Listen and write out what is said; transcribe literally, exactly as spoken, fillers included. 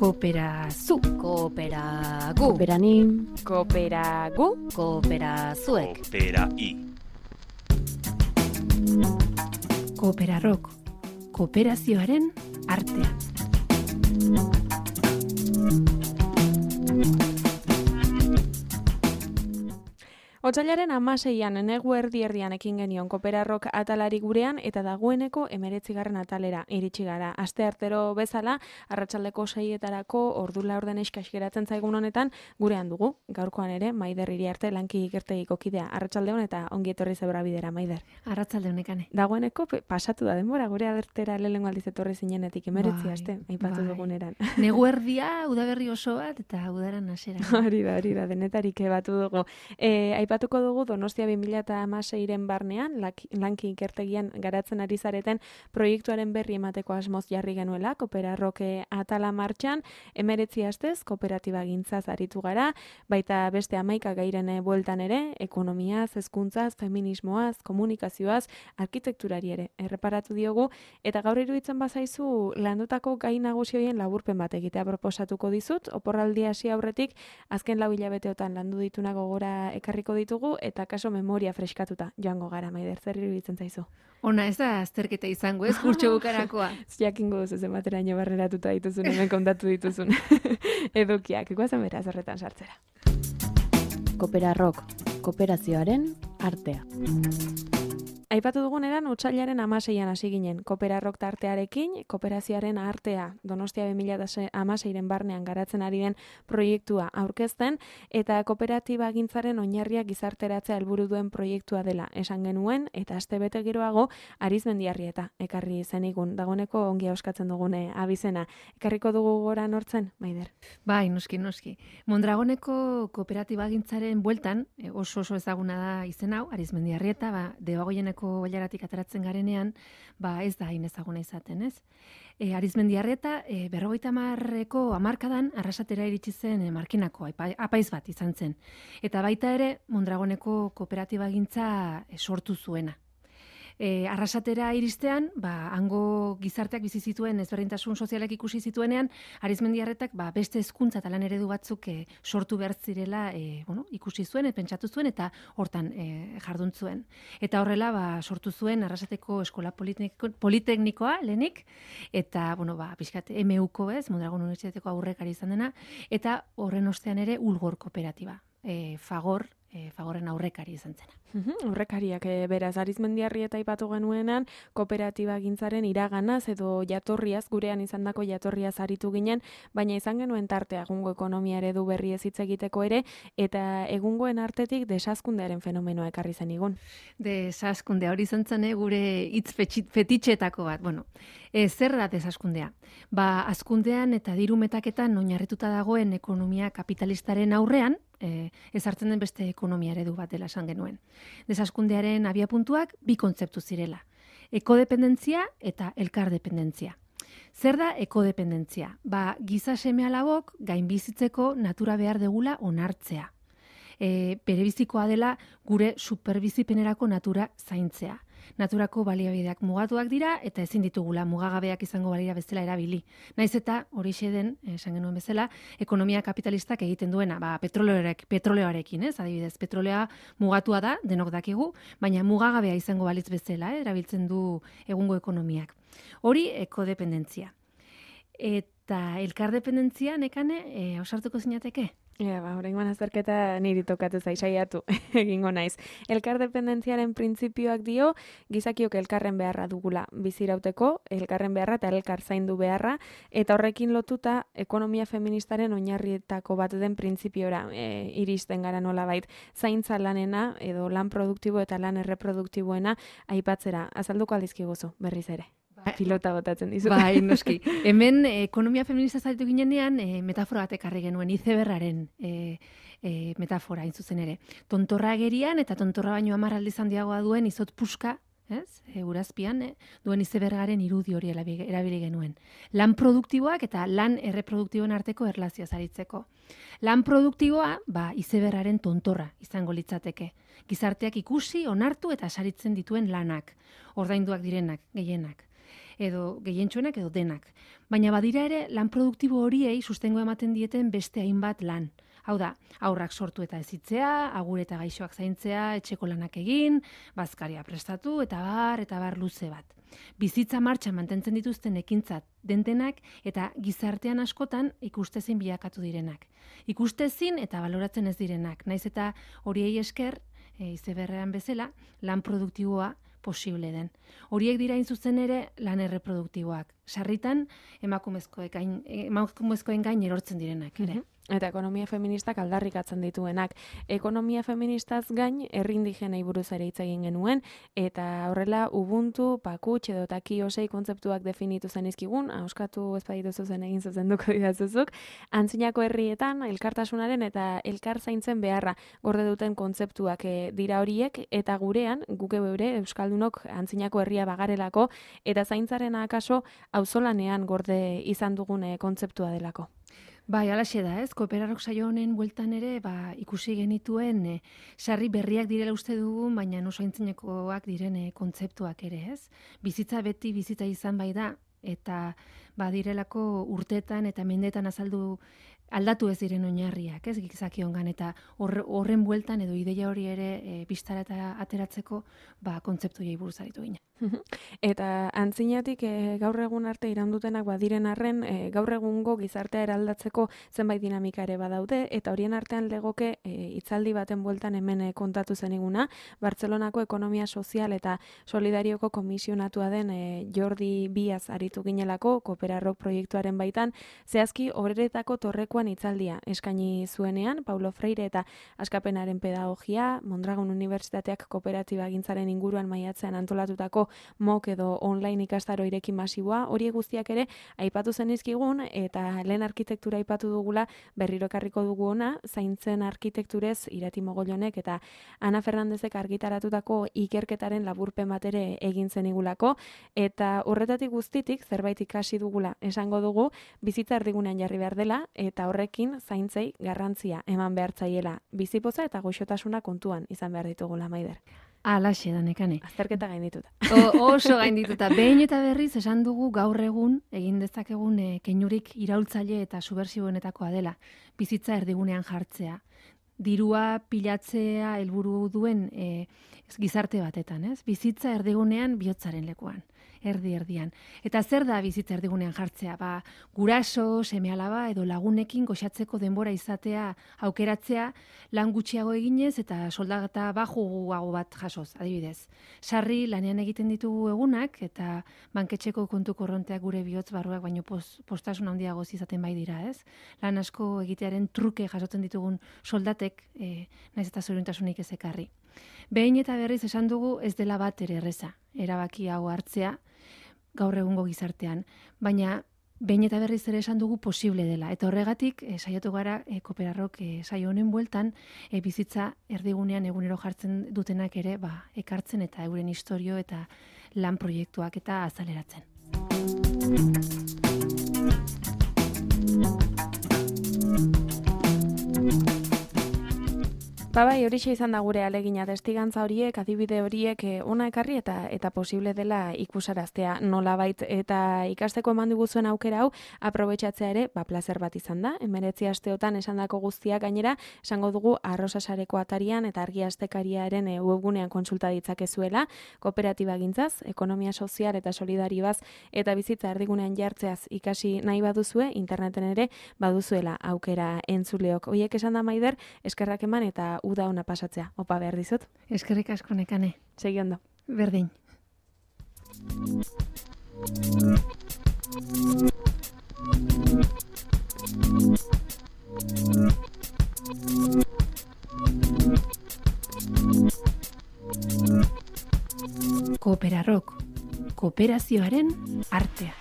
Kooperazu, Kooperagu, kooperanim, kooperagu, kooperazuek, Koopera-i. Kooperarrok, kooperazioaren artea. Otsailaren hamaseian negu erdi erdian ekin genion Kooperarrok atalari gurean eta dagoeneko hemeretzigarren atalera iritsi gara. Asteartero bezala, arratsaldeko seietarako ordu laurden eskas geratzen zaigun honetan gurean dugu. Gaurkoan ere, Maider Iriarte lanki ikertegiko kidea. Arratsaldeon eta ongi etorri zebra bidera, Maider. Arratsalde honekane. Dagoeneko pe- pasatu da denbora gure adertera lehenengo aldiz etorri zinenetik hemeretzi Bai, aste, aipatu bai. duguneran. Negu erdia, udaberri oso bat eta udaran hasera. Hori da, hori da, denetarik ebatu dugu. E, aipatuko dugu Donostia bi mila hamaseiren barnean, lak- lanki ikertegian garatzen ari zareten proiektuaren berri emateko asmoz jarri genuela, Kooperarrok atala martxan, emeretzi astez, kooperatiba gintzaz aritu gara, baita beste hamaika gairen bueltan ere, ekonomiaz, hezkuntzaz, feminismoaz, komunikazioaz, arkitekturari ere, erreparatu diogu, eta gaur iruditzen bazaizu landutako gai nagusi horien laburpen bat egitea proposatuko dizut, oporraldi hasi aurretik, azken lau hilabeteotan landu dituna gogora ekarriko ditugu, eta kaso memoria freskatuta joango gara, Maider, zer iruditzen zaizu? Ona, ez da azterketa izango, ez kurtso bukarakoa. Jakingo duzu zenbateraino barneratuta dituzun, hemen kontatu dituzun edukiak. Guazen beraz horretan sartzera. Kooperarrok, kooperazioaren artea. Aipatu duguneran, otsailaren hamaseian hasi ginen, Kooperarrok tartearekin, kooperazioaren artea, Donostia bi mila hamaseiren barnean garatzen ari den proiektua aurkezten, eta kooperatiba gintzaren oinarriak gizarteratzea helburu duen proiektua dela esan genuen, eta astebete geroago Arizmendiarrieta ekarri zenigun, dagoeneko ongi auskatzen dugune abizena. Ekarriko dugu gora nortzen, Maider? Bai, noski, noski. Mondragoneko kooperatiba gintzaren bueltan, e, oso oso ezaguna da izen hau, Arizmendiarrieta, ba, Debagoieneko bailaratik ateratzen garenean, ba ez da hain ezaguna izaten, ez? E, Arizmendiarrieta, e, berrogeita hamarreko hamarkadan arrasatera iritsi zen e, markinako apa- apaiz bat izan zen. Eta baita ere, Mondragoneko kooperatiba gintza e, sortu zuena. E, arrasatera iristean, ba, hango gizarteak bizi zituen ezberdintasun sozialak ikusi zituenean, Arizmendiarretak ba, beste hezkuntza eta lan eredu batzuk e, sortu behar zirela e, bueno, ikusi zuen, e, pentsatu zuen eta hortan e, jardun zuen. Eta horrela ba, sortu zuen Arrasateko Eskola Politekniko, Politeknikoa lehenik, eta bueno, ba, pixkat M U-ko ez, Mondragon Unibertsitateko aurrekari izan dena, eta horren ostean ere Ulgor kooperatiba, e, Fagor, e, Fagorren aurrekari izan zena. Mhm, Horrekariak e, beraz, Arizmendiarrieta aipatu genuenean, kooperatiba gintzaren iraganaz edo jatorriaz, gurean izandako jatorriaz aritu ginen, baina izan genuen tartea egungo ekonomia eredu berri ez hitz egiteko ere, eta egungoen artetik desazkundearen fenomenoa ekarri zen igun. Desaskundea hori izan zen, eh, gure hitz fetxi- fetitxetako bat. Bueno, e, zer da desaskundea? Ba, hazkundean eta diru metaketan oinarrituta dagoen ekonomia kapitalistaren aurrean, e, ezartzen den beste ekonomia eredu bat dela esan genuen. Desaskundearen abiapuntuak bi kontzeptu zirela. Ekodependentzia eta elkardependentzia. Zer da ekodependentzia? Ba, giza seme-alabok gainbizitzeko natura behar degula onartzea. E, berebizikoa dela gure superbizipenerako natura zaintzea. Naturako baliabideak mugatuak dira eta ezin ditugula mugagabeak izango balira bezala erabili. Naiz eta horixe den, esan genuen bezala, ekonomia kapitalistak egiten duena, ba, petroleoarek, petroleoarekin, ez? Adibidez, petrolea mugatua da, denok dakigu, baina mugagabea izango balitz bezala, eh? Erabiltzen du egungo ekonomiak. Hori ekodependentzia. Eta elkardependentzia, nekane, e, ausartuko zinateke? Ja, ba, oraingoan azterketa niri tokatu zai saiatu egingo naiz. Elkardependentziaren printzipioak dio gizakiok elkarren beharra dugula bizirauteko, elkarren beharra eta elkar zaindu beharra, eta horrekin lotuta ekonomia feministaren oinarrietako bat den printzipiora e, iristen gara nolabait. Zaintza lanena edo lan produktibo eta lan erreproduktiboena aipatzera. Azalduko aldizkiguzu berriz ere. Pilota botatzen dizu. Bai, noski. Hemen eh, ekonomia feminista zaitu ginenean eh, metafora bat ekarri genuen, izeberraren eh, eh, metafora, hain zuzen ere. Tontorra agerian eta tontorra baino hamar aldiz handiagoa duen izot puska, ez? E, urazpian, eh, duen izebergaren irudi hori erabi- erabili genuen. Lan produktiboak eta lan erreproduktiboen arteko erlazioa zaritzeko. Lan produktiboa, ba, izebergaren tontorra izango litzateke. Gizarteak ikusi, onartu eta saritzen dituen lanak, ordainduak direnak, gehienak. edo gehientsuenak edo denak. Baina badira ere lan produktibo horiei sustengo ematen dieten beste hainbat lan. Hau da, aurrak sortu eta hezitzea, agur eta gaixoak zaintzea, etxeko lanak egin, bazkaria prestatu eta bar eta bar luze bat. Bizitza martxan mantentzen dituzten ekintzat dentenak eta gizartean askotan ikustezin bilakatu direnak. Ikustezin eta baloratzen ez direnak, naiz eta horiei esker, e, izeberrean bezala, lan produktiboa posible den. Horiek dira hain zuzen ere lan erreproduktiboak. Sarritan emakumezkoen gain, emakumezkoen gain erortzen direnak ere. Mm-hmm. Eta ekonomia feministak aldarrikatzen dituenak. Ekonomia feministaz gain, herri indigenei buruz ere hitz egin genuen, eta horrela Ubuntu, Pakutx edo Takiosei kontzeptuak definitu zenizkigun, euskatu ez badituzu zen egin zuzenduko didazuzuk, antzinako herrietan elkartasunaren eta elkar zaintzen beharra gorde duten kontzeptuak e, dira horiek, eta gurean, guke beure, euskaldunok antzinako herria bagarelako, eta zaintzarena akaso auzolanean gorde izan dugune kontzeptua delako. Bai, alaxe da, ez? Kooperarok saio honen bueltan ere, ba, ikusi genituen e, sarri berriak direla uste dugun, baina oso aintzinekoak diren e, kontzeptuak ere, ez? Bizitza beti bizitza izan bai da, eta ba, direlako urtetan eta mendetan azaldu aldatu ez diren oinarriak, ez? Gizakiongan, eta horren bueltan edo ideia hori ere e, bistara eta ateratzeko ba, kontzeptuei buruz aritu ginen. Eta antzinatik e, gaur egun arte iraundutenak badiren arren, e, gaur egungo gizartea eraldatzeko zenbait dinamika ere badaude, eta horien artean legoke e, hitzaldi baten bueltan hemen e, kontatu zeniguna, Bartzelonako Ekonomia Sozial eta Solidarioko komisionatua den e, Jordi Biaz aritu ginelako, Kooperarok proiektuaren baitan, zehazki obreretako torrekoan hitzaldia eskaini zuenean, Paulo Freire eta Askapenaren pedagogia, Mondragon Unibertsitateak kooperatiba gintzaren inguruan maiatzean antolatutako mok edo online ikastaro ireki masiboa, hori guztiak ere aipatu zenizkigun, eta lehen arkitektura aipatu dugula berriro ekarriko dugu ona, zaintzen arkitekturez Irati Mogollonek eta Ana Fernandezek argitaratutako ikerketaren laburpen bat ere egin zenigulako, eta horretatik guztitik zerbait ikasi dugula esango dugu, bizitza erdigunean jarri behar dela, eta horrekin zaintzei garrantzia eman behar zaiela, bizipoza eta goxotasuna kontuan izan behar ditugula, Maider. Alaxe da, Nekane. Azterketa gaindituta. O, oso gaindituta. Behin eta berriz esan dugu gaur egun egin dezakegun e, keinurik iraultzaile eta subversiboenetakoa dela. Bizitza erdigunean jartzea. Dirua pilatzea helburu duen e, gizarte batetan, ez? Bizitza erdigunean bihotzaren lekuan. Erdi erdian. Eta zer da bizitza erdigunean jartzea? Ba, guraso, seme-alaba edo lagunekin goxatzeko denbora izatea, aukeratzea, lan gutxiago eginez eta soldata bajuago bat jasoz, adibidez. Sarri lanean egiten ditugu egunak eta banketxeko kontu korronteak gure bihotz barruak baino post, postasun handiagoz izaten bai dira, ez? Lan asko egitearen truke jasotzen ditugun soldatek, e, naiz eta zoriontasunik ez ekarri. Behin eta berriz esan dugu ez dela bat ere erreza, erabaki hau hartzea, gaur egungo gizartean, baina behin eta berriz ere esan dugu posible dela. Eta horregatik, e, saiatu gara, e, Kooperarok e, saio honen bueltan, e, bizitza erdigunean egunero jartzen dutenak ere, ba, ekartzen eta euren istorio eta lan proiektuak eta azaleratzen. Ba bai, horixe izan da gure alegina, testigantza horiek, adibide horiek ona ekarri eta eta posible dela ikusaraztea nolabait, eta ikasteko eman diguzuen aukera hau aprobetxatzea ere, ba plazer bat izan da. Hemeretzi asteotan esandako guztiak gainera, esango dugu Arrosa Sareko atarian eta Argia Astekariaren e, webgunean kontsulta ditzakezuela, kooperatiba gintzaz, ekonomia sozial eta solidaribaz eta bizitza erdigunean jartzeaz ikasi nahi baduzue, interneten ere baduzuela aukera entzuleok. Hoiek esan da, Maider, eskerrak eman eta uda ona pasatzea. Opa behar dizut. Eskerrik asko, Nekane. Segi ondo. Berdin. Kooperarok, kooperazioaren artea.